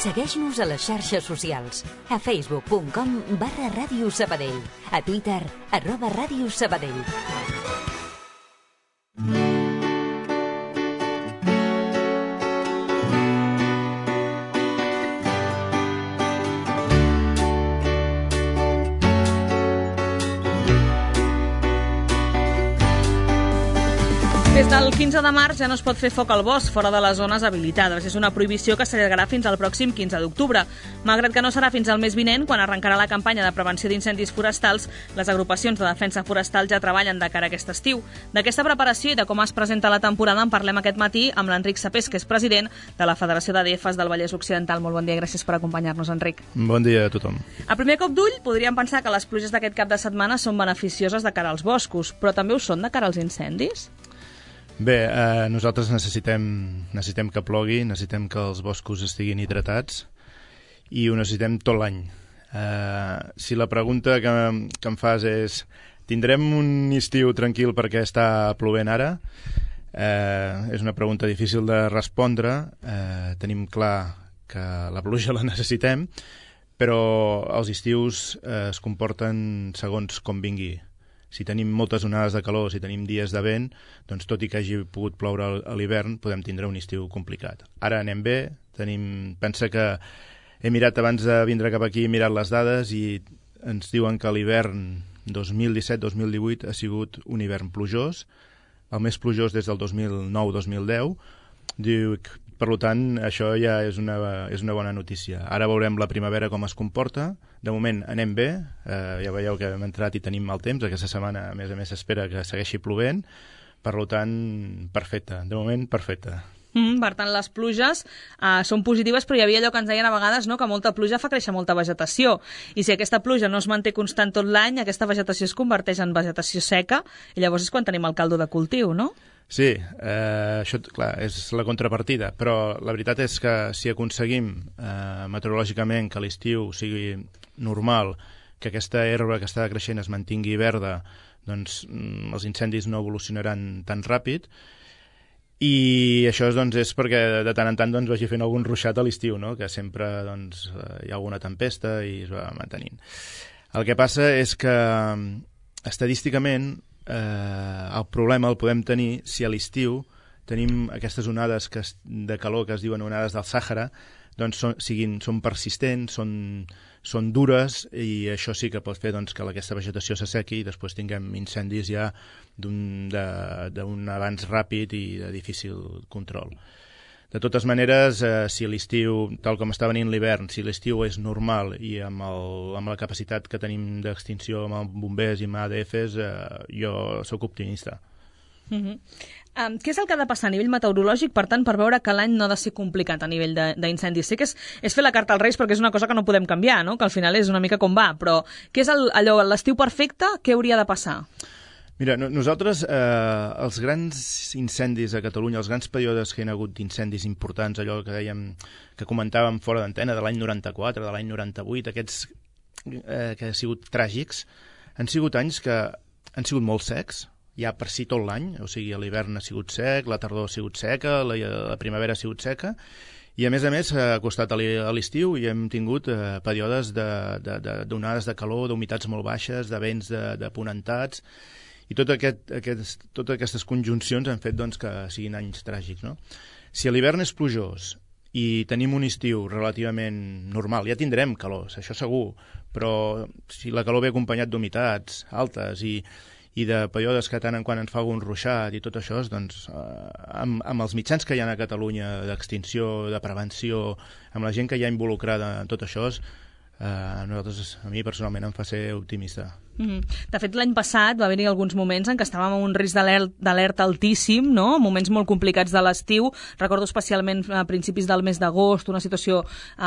Segueix-nos a les xarxes socials, a facebook.com/Ràdio Sabadell, a Twitter, @Ràdio Sabadell. Des del 15 de març ja no es pot fer foc al bosc fora de les zones habilitades. És una prohibició que s'allargarà fins al pròxim 15 d'octubre. Malgrat que no serà fins al mes vinent, quan arrencarà la campanya de prevenció d'incendis forestals, les agrupacions de defensa forestal ja treballen de cara a aquest estiu. D'aquesta preparació i de com es presenta la temporada en parlem aquest matí amb l'Enric Sapés, que és president de la Federació d'ADFs del Vallès Occidental. Molt bon dia i gràcies per acompanyar-nos, Enric. Bon dia a tothom. A primer cop d'ull, podríem pensar que les pluges d'aquest cap de setmana són beneficioses de cara als boscos, però també ho són de cara als incendis? Bé, nosaltres necessitem que plogui, necessitem que els boscos estiguin hidratats i ho necessitem tot l'any. Si la pregunta que em fas és tindrem un estiu tranquil perquè està plovent ara? És una pregunta difícil de respondre. Tenim clar que la pluja la necessitem, però els estius es comporten segons com vingui. Si tenim moltes onades de calor, si tenim dies de vent, doncs tot i que hagi pogut ploure a l'hivern, podem tindre un estiu complicat. Ara anem bé, pensa que he mirat abans de vindre cap aquí, he mirat les dades i ens diuen que l'hivern 2017-2018 ha sigut un hivern plujós, el més plujós des del 2009-2010. Diu, per tant, això ja és una bona notícia. Ara veurem la primavera com es comporta. De moment anem bé, ja veieu que hem entrat i tenim mal temps. Aquesta setmana, a més s'espera que segueixi plovent. Per tant, perfecte. De moment, perfecte. Per tant, les pluges són positives, però hi havia allò que ens deien a vegades, no?, que molta pluja fa créixer molta vegetació. I si aquesta pluja no es manté constant tot l'any, aquesta vegetació es converteix en vegetació seca i llavors és quan tenim el caldo de cultiu, no? Sí, això, clar, és la contrapartida, però la veritat és que si aconseguim meteorològicament que l'estiu sigui normal, que aquesta herba que està creixent es mantingui verda, doncs els incendis no evolucionaran tan ràpid. I això és perquè de tant en tant vagi fent algun ruixat a l'estiu, no? Que sempre hi ha alguna tempesta i es va mantenint. El que passa és que estadísticament el problema el podem tenir si a l'estiu tenim aquestes onades de calor que es diuen onades del Sàhara, doncs són persistents, són dures i això sí que pot fer que aquesta vegetació s'assequi i després tinguem incendis ja d'un avanç ràpid i de difícil control. De totes maneres, si l'estiu, tal com està venint l'hivern, si l'estiu és normal i amb la capacitat que tenim d'extinció amb bombers i amb ADFs, jo sóc optimista. Què és el que ha de passar a nivell meteorològic, per tant, per veure que l'any no ha de ser complicat a nivell d'incendis? Sé que és fer la carta als Reis perquè és una cosa que no podem canviar, no? Que al final és una mica com va, però què és l'estiu perfecte? Què hauria de passar? Mira, nosaltres, els grans incendis a Catalunya, els grans períodes que hi ha hagut d'incendis importants, allò que comentàvem fora d'antena, de l'any 94, de l'any 98, aquests que han sigut tràgics, han sigut anys que han sigut molt secs, ja per si tot l'any, o sigui, l'hivern ha sigut sec, la tardor ha sigut seca, la primavera ha sigut seca, i a més ha costat a l'estiu i hem tingut períodes d'onades de calor, d'humitats molt baixes, de vents de ponentats, i totes aquestes conjuncions han fet que siguin anys tràgics, no? Si l'hivern és plujós i tenim un estiu relativament normal, ja tindrem calors, això segur, però si la calor ve acompanyat d'humitats altes i de períodes que tant en quant ens fa algun ruixat i tot això, doncs amb els mitjans que hi ha a Catalunya d'extinció, de prevenció, amb la gent que hi ha involucrada en tot això, a mi personalment em fa ser optimista. De fet, l'any passat va haver-hi alguns moments en què estàvem en un risc d'alerta altíssim, no? Moments molt complicats de l'estiu. Recordo especialment a principis del mes d'agost, una situació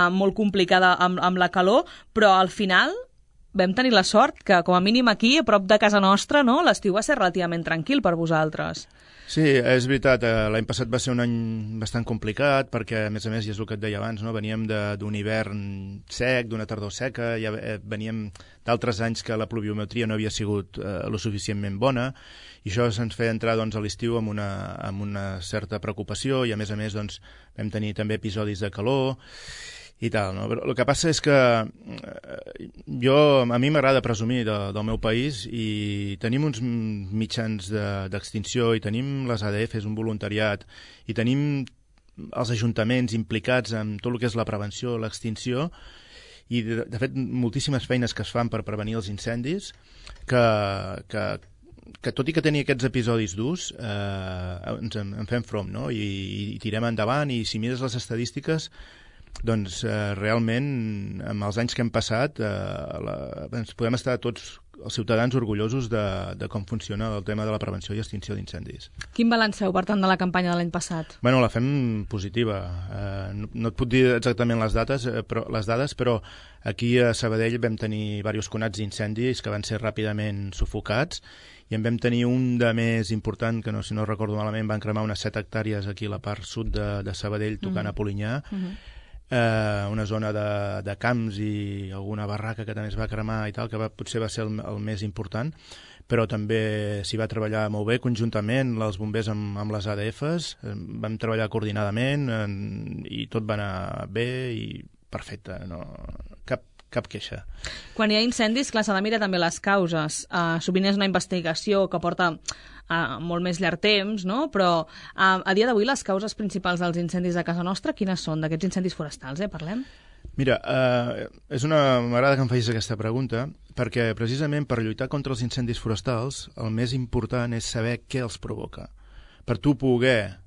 molt complicada amb la calor, però al final vam tenir la sort que, com a mínim aquí, a prop de casa nostra, no? L'estiu va ser relativament tranquil per vosaltres. Sí, és veritat, l'any passat va ser un any bastant complicat perquè, a més, i és el que et deia abans, no? Veníem d'un hivern sec, d'una tardor seca, ja veníem d'altres anys que la pluviometria no havia sigut lo suficientment bona i això ens feia entrar a l'estiu amb una certa preocupació i, a més, vam tenir també episodis de calor i tal, no? Però el que passa és que a mi m'agrada presumir del meu país i tenim uns mitjans d'extinció i tenim les ADFs, un voluntariat, i tenim els ajuntaments implicats en tot el que és la prevenció, l'extinció, i de fet moltíssimes feines que es fan per prevenir els incendis, que tot i que tenia aquests episodis durs, en fem front, no? I tirem endavant, i si mires les estadístiques, doncs realment, amb els anys que hem passat, ens podem estar tots els ciutadans orgullosos de com funciona el tema de la prevenció i extinció d'incendis. Quin balanç feu, per tant, de la campanya de l'any passat? Bueno, la fem positiva. No et puc dir exactament les dades, però aquí a Sabadell vam tenir diversos conats d'incendis que van ser ràpidament sufocats, i en vam tenir un de més important, que si no recordo malament, van cremar unes 7 hectàrees aquí a la part sud de Sabadell, tocant a Polinyà, una zona de camps i alguna barraca que també es va cremar i tal, que potser va ser el més important, però també s'hi va treballar molt bé conjuntament, els bombers amb les ADFs, vam treballar coordinadament i tot va anar bé i perfecte, no, cap queixa. Quan hi ha incendis, clar, s'ha de mirar també les causes. Sovint és una investigació que porta molt més llarg temps, no? Però a dia d'avui les causes principals dels incendis de casa nostra, quines són? D'aquests incendis forestals, parlem? Mira, m'agrada que em facis aquesta pregunta, perquè precisament per lluitar contra els incendis forestals el més important és saber què els provoca. Per tu poder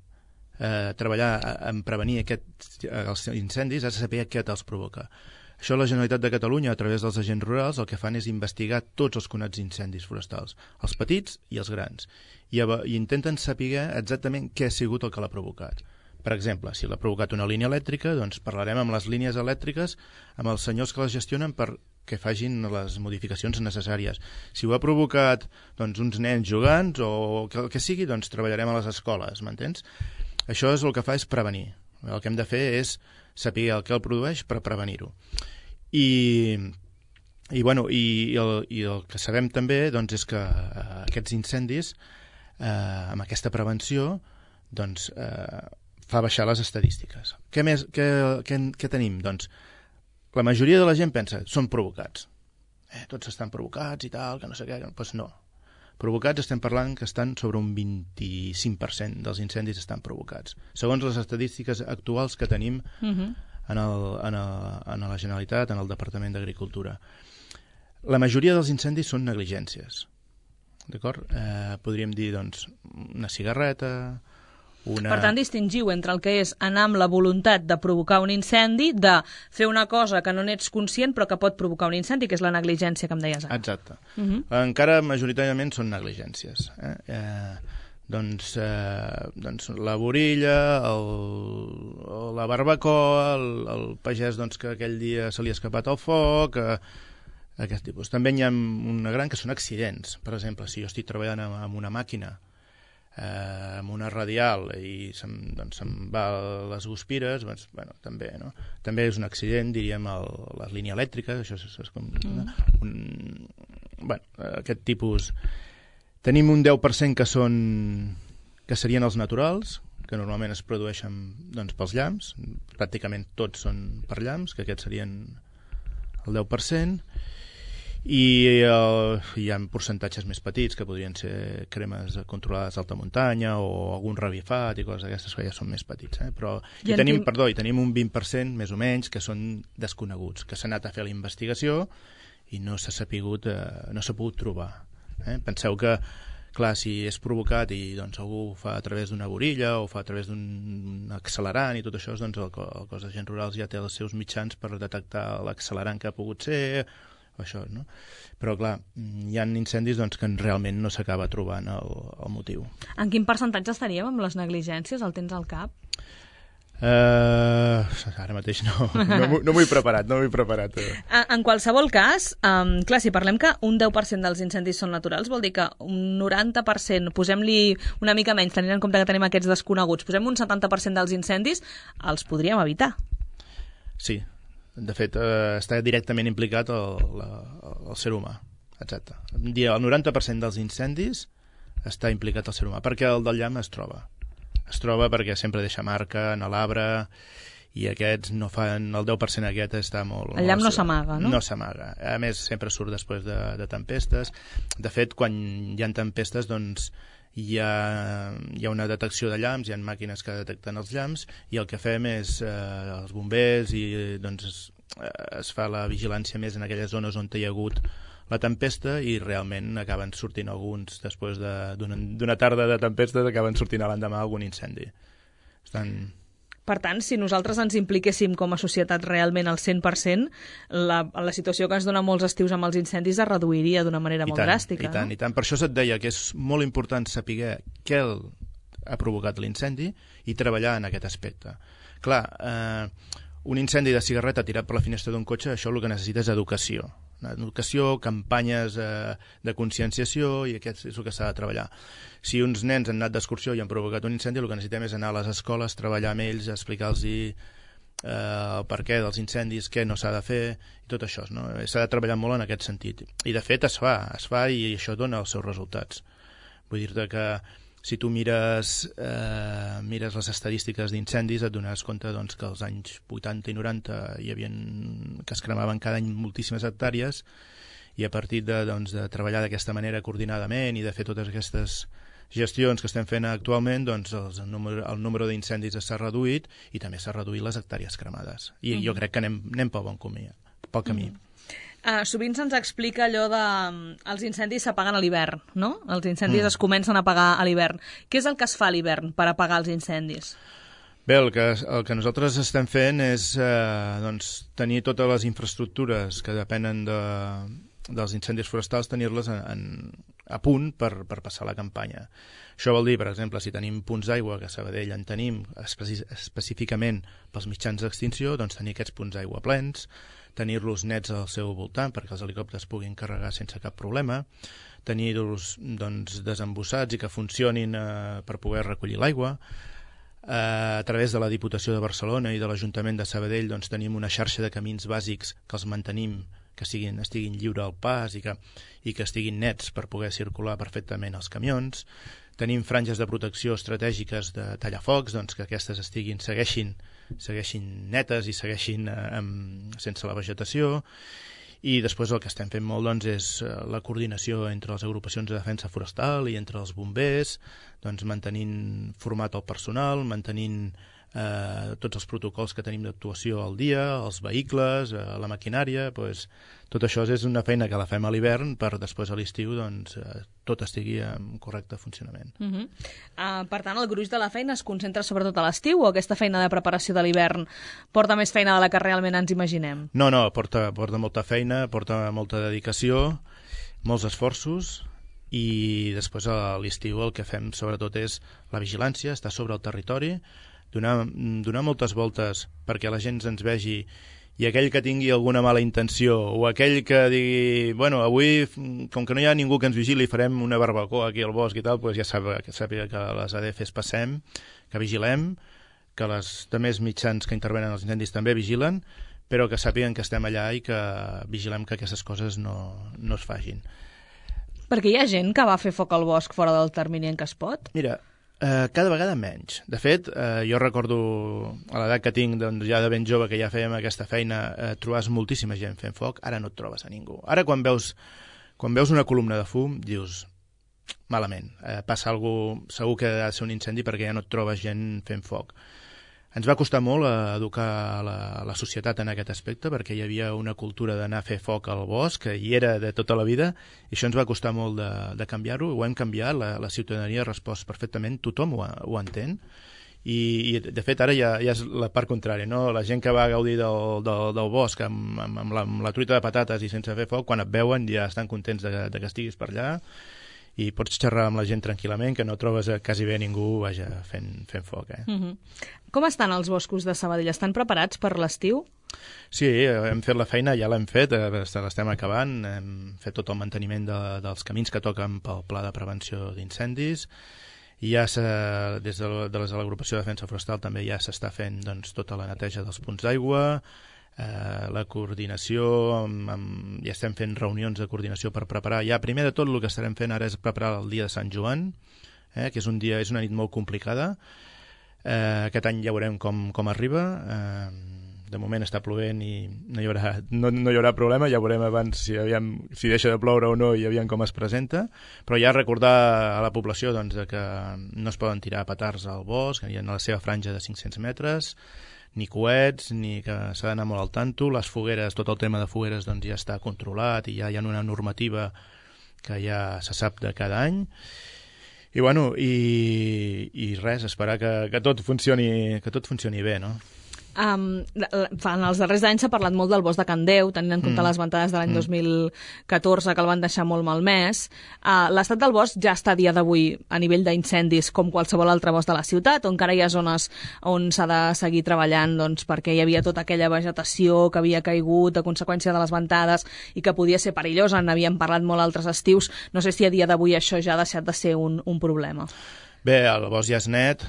treballar en prevenir els incendis has de saber què te'ls provoca. Això la Generalitat de Catalunya, a través dels agents rurals, el que fan és investigar tots els conats d'incendis forestals, els petits i els grans, i intenten saber exactament què ha sigut el que l'ha provocat. Per exemple, si l'ha provocat una línia elèctrica, doncs parlarem amb les línies elèctriques, amb els senyors que les gestionen perquè facin les modificacions necessàries. Si ho ha provocat uns nens jugants o el que sigui, doncs treballarem a les escoles, m'entens? Això és el que fa és prevenir. El que hem de fer és saber el que el produeix per prevenir-ho. I el que sabem també és que aquests incendis, amb aquesta prevenció, fa baixar les estadístiques. Què tenim? Doncs la majoria de la gent pensa són provocats. Tots estan provocats i tal, que no sé què. Doncs no. Provocats estem parlant que estan sobre un 25% dels incendis estan provocats, segons les estadístiques actuals que tenim en la Generalitat, en el Departament d'Agricultura. La majoria dels incendis són negligències, d'acord? Podríem dir, una cigarreta, Per tant, distingiu entre el que és anar amb la voluntat de provocar un incendi, de fer una cosa que no n'ets conscient però que pot provocar un incendi, que és la negligència que em deies ara. Exacte. Encara majoritàriament són negligències. La borilla, la barbacoa, el pagès que aquell dia se li ha escapat el foc, aquest tipus. També n'hi ha una gran que són accidents. Per exemple, si jo estic treballant amb una màquina, amb una radial i se'm va les guspires, també, no? També és un accident, diríem, la línia elèctrica, això és com aquest tipus. Tenim un 10% que serien els naturals, que normalment es produeixen pels llamps, pràcticament tots són per llamps, que aquests serien el 10%, i hi ha percentatges més petits que podrien ser cremes controlades d'alta muntanya o algun revifat i coses d'aquestes que ja són més petits, però tenim un 20% més o menys que són desconeguts, que s'ha anat a fer la investigació i no s'ha pogut trobar. Penseu que, clar, si és provocat i algú ho fa a través d'una borilla o fa a través d'un accelerant i tot això, el cos d'agents rurals ja té els seus mitjans per detectar l'accelerant que ha pogut ser, això, no? Però clar, hi ha incendis que realment no s'acaba trobant el motiu. En quin percentatge estaríem amb les negligències? El tens al cap? Ara mateix no m'ho he preparat, En qualsevol cas, clar, si parlem que un 10% dels incendis són naturals, vol dir que un 90%, posem-li una mica menys, tenint en compte que tenim aquests desconeguts, posem un 70% dels incendis, els podríem evitar. Sí. De fet, està directament implicat el ser humà. Exacte. El 90% dels incendis està implicat el ser humà, perquè el del llamp es troba. Es troba perquè sempre deixa marca en l'arbre i aquests no fan... El 10% aquest està molt... El llamp no s'amaga, no? No s'amaga. A més, sempre surt després de tempestes. De fet, quan hi ha tempestes, doncs hi ha una detecció de llamps, hi ha màquines que detecten els llamps, i el que fem és els bombers i doncs es fa la vigilància més en aquelles zones on hi ha hagut la tempesta, i realment acaben sortint alguns, després d'una tarda de tempestes, acaben sortint a l'endemà algun incendi. Per tant, si nosaltres ens impliquéssim com a societat realment al 100%, la situació que ens dona molts estius amb els incendis es reduiria d'una manera molt dràstica. I tant. Per això et deia que és molt important saber què ha provocat l'incendi i treballar en aquest aspecte. Clar, un incendi de cigarreta tirat per la finestra d'un cotxe, això el que necessita és educació. Educació, campanyes de conscienciació, i aquest és el que s'ha de treballar. Si uns nens han anat d'excursió i han provocat un incendi, el que necessitem és anar a les escoles, treballar amb ells, explicar-los el perquè dels incendis, què no s'ha de fer, i tot això, no? S'ha de treballar molt en aquest sentit. I de fet es fa i això dona els seus resultats. Vull dir-te que si tu mires les estadístiques d'incendis, et dones compte doncs, que als anys 80 i 90 que es cremaven cada any moltíssimes hectàrees, i a partir de treballar d'aquesta manera coordinadament i de fer totes aquestes gestions que estem fent actualment, doncs el número d'incendis s'ha reduït i també s'ha reduït les hectàrees cremades. I jo crec que anem pel bon camí. Sovint se'ns explica allò de els incendis s'apaguen a l'hivern, no? Els incendis es comencen a apagar a l'hivern. Què és el que es fa a l'hivern per apagar els incendis? Bé, el que nosaltres estem fent és tenir totes les infraestructures que depenen dels incendis forestals, tenir-les a punt per passar la campanya. Això vol dir, per exemple, si tenim punts d'aigua, que a Sabadell en tenim específicament pels mitjans d'extinció, doncs tenir aquests punts d'aigua plens, tenir-los nets al seu voltant perquè els helicòpters puguin carregar sense cap problema, tenir-los desembussats i que funcionin per poder recollir l'aigua. A través de la Diputació de Barcelona i de l'Ajuntament de Sabadell tenim una xarxa de camins bàsics que els mantenim, que estiguin lliure al pas i que estiguin nets per poder circular perfectament els camions. Tenim franges de protecció estratègiques de tallafocs, que aquestes segueixin netes i segueixin sense la vegetació. I després el que estem fent molt és la coordinació entre les agrupacions de defensa forestal i entre els bombers, mantenint format el personal, mantenint tots els protocols que tenim d'actuació al dia, els vehicles, la maquinària. Tot això és una feina que la fem a l'hivern per després a l'estiu tot estigui en correcte funcionament. Per tant, el gruix de la feina es concentra sobretot a l'estiu, o aquesta feina de preparació de l'hivern porta més feina de la que realment ens imaginem? No, porta molta feina, porta molta dedicació, molts esforços, i després a l'estiu el que fem sobretot és la vigilància, estar sobre el territori, donar moltes voltes perquè la gent ens vegi, i aquell que tingui alguna mala intenció o aquell que digui, avui, com que no hi ha ningú que ens vigili, farem una barbacoa aquí al bosc i tal, ja sàpiga que les ADFs passem, que vigilem, que els altres mitjans que intervenen als incendis també vigilen, però que sàpiguen que estem allà i que vigilem que aquestes coses no es facin. Perquè hi ha gent que va fer foc al bosc fora del termini en què es pot? Mira, cada vegada menys. De fet, jo recordo a l'edat que tinc, ja de ben jove, que ja fèiem aquesta feina, trobaves moltíssima gent fent foc, ara no et trobes a ningú. Ara quan veus una columna de fum, dius, malament, passa alguna cosa, segur que ha de ser un incendi perquè ja no et trobes gent fent foc. Ens va costar molt educar la societat en aquest aspecte, perquè hi havia una cultura d'anar a fer foc al bosc, que hi era de tota la vida, i això ens va costar molt de canviar-ho. Ho hem canviat, la ciutadania ha respost perfectament, tothom ho entén, i de fet ara ja és la part contrària, no? La gent que va gaudir del bosc amb la truita de patates i sense fer foc, quan et veuen ja estan contents de que estiguis per allà, i pots xerrar amb la gent tranquil·lament, que no trobes quasi bé ningú fent foc. Com estan els boscos de Sabadell? Estan preparats per l'estiu? Sí, hem fet la feina, ja l'hem fet, l'estem acabant, hem fet tot el manteniment dels camins que toquen pel pla de prevenció d'incendis, i ja des de l'agrupació de defensa forestal també ja s'està fent tota la neteja dels punts d'aigua, la coordinació, ja estem fent reunions de coordinació per preparar. Ja, primer de tot, el que estarem fent ara és preparar el dia de Sant Joan, que és una nit molt complicada. Aquest any ja veurem com arriba. De moment està plovent i no hi haurà problema, ja veurem abans si deixa de ploure o no i aviam com es presenta, però ja recordar a la població doncs, que no es poden tirar petards al bosc, que hi ha la seva franja de 500 metres, ni coets, ni que s'ha d'anar molt al tanto. Les fogueres, tot el tema de fogueres doncs, ja està controlat i ja hi ha una normativa que ja se sap de cada any. I bueno, i res, esperar que tot funcioni bé, no? En els darrers anys s'ha parlat molt del bosc de Can Déu, tenint en compte les ventades de l'any 2014 que el van deixar molt malmès. L'estat del bosc ja està a dia d'avui a nivell d'incendis com qualsevol altre bosc de la ciutat, on encara hi ha zones on s'ha de seguir treballant doncs, perquè hi havia tota aquella vegetació que havia caigut a conseqüència de les ventades i que podia ser perillosa. N'havíem parlat molt altres estius. No sé si a dia d'avui això ja ha deixat de ser un problema. Bé, el bosc ja és net,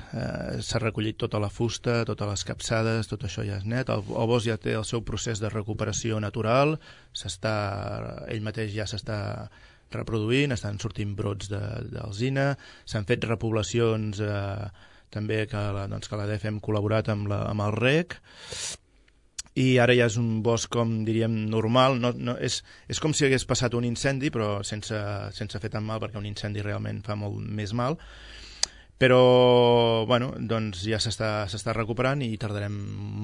s'ha recollit tota la fusta, totes les capçades, tot això ja és net. El bosc ja té el seu procés de recuperació natural, ell mateix ja s'està reproduint, estan sortint brots d'alzina, s'han fet repoblacions també que l'ADF hem col·laborat amb el REC, i ara ja és un bosc, com diríem, normal. És com si hagués passat un incendi, però sense fer tan mal, perquè un incendi realment fa molt més mal. Però bueno, doncs ja s'està recuperant i tardarem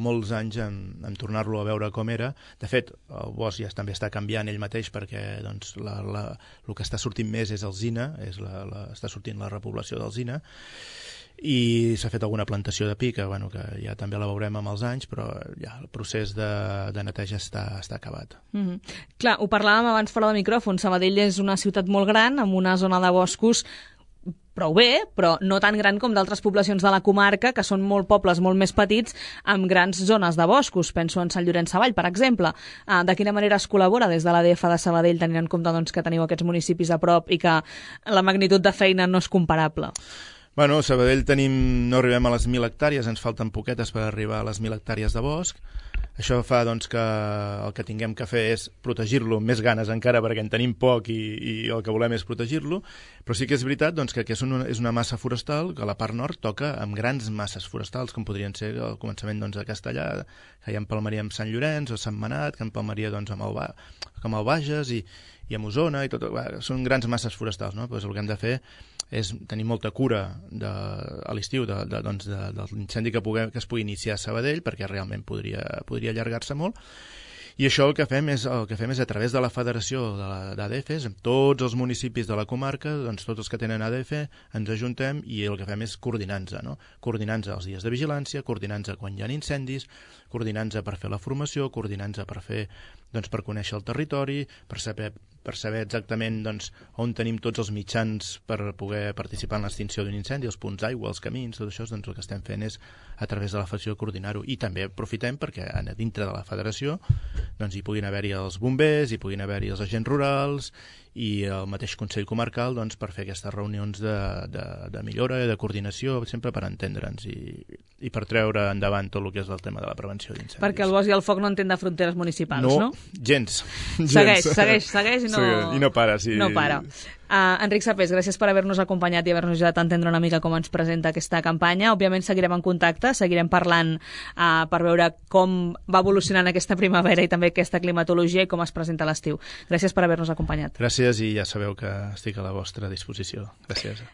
molts anys en tornar-lo a veure com era. De fet, el bosc ja també està canviant ell mateix perquè doncs, el que està sortint més és alzina, està sortint la repoblació d'alzina, i s'ha fet alguna plantació de pi que ja també la veurem amb els anys, però ja el procés de neteja està acabat. Clar, ho parlàvem abans fora de micròfon. Sabadell és una ciutat molt gran, amb una zona de boscos prou bé, però no tan gran com d'altres poblacions de la comarca, que són molt pobles molt més petits, amb grans zones de boscos. Penso en Sant Llorenç Savall, per exemple. De quina manera es col·labora des de l'ADF de Sabadell, tenint en compte doncs, que teniu aquests municipis a prop i que la magnitud de feina no és comparable? Bueno, a Sabadell no arribem a les 1.000 hectàrees, ens falten poquetes per arribar a les 1.000 hectàrees de bosc. Això fa doncs, que el que tinguem que fer és protegir-lo amb més ganes encara, perquè en tenim poc i el que volem és protegir-lo, però sí que és veritat doncs, que és una massa forestal que a la part nord toca amb grans masses forestals, com podrien ser al començament doncs, de Castellà, que hi empalmaria amb Sant Llorenç o Sant Manat, que empalmaria doncs, amb el Bages i amb Osona, i tot. Són grans masses forestals, no? Pues el que hem de fer és tenir molta cura a l'estiu de l'incendi que es pugui iniciar a Sabadell, perquè realment podria allargar-se molt. I això el que fem és a través de la federació d'ADFs, amb tots els municipis de la comarca, doncs tots els que tenen ADF, ens ajuntem i el que fem és coordinar-nos, no? Coordinar-nos els dies de vigilància, coordinar-nos quan hi ha incendis, coordinar-nos per fer la formació, coordinar-nos per conèixer el territori, per saber exactament doncs, on tenim tots els mitjans per poder participar en l'extinció d'un incendi, els punts d'aigua, els camins, tot això, doncs el que estem fent és a través de la federació coordinar-ho. I també aprofitem perquè dintre de la federació doncs, hi puguin haver-hi els bombers, hi puguin haver-hi els agents rurals i el mateix Consell Comarcal doncs, per fer aquestes reunions de millora i de coordinació, sempre per entendre'ns i per treure endavant tot el que és el tema de la prevenció d'incendis. Perquè el bosc i el foc no entén de fronteres municipals, no? Gens. Segueix i no para. Sí. No para. Enric Sapés, gràcies per haver-nos acompanyat i haver-nos ajudat a entendre una mica com ens presenta aquesta campanya. Òbviament seguirem en contacte, seguirem parlant per veure com va evolucionant aquesta primavera i també aquesta climatologia i com es presenta l'estiu. Gràcies per haver-nos acompanyat. Gràcies i ja sabeu que estic a la vostra disposició. Gràcies.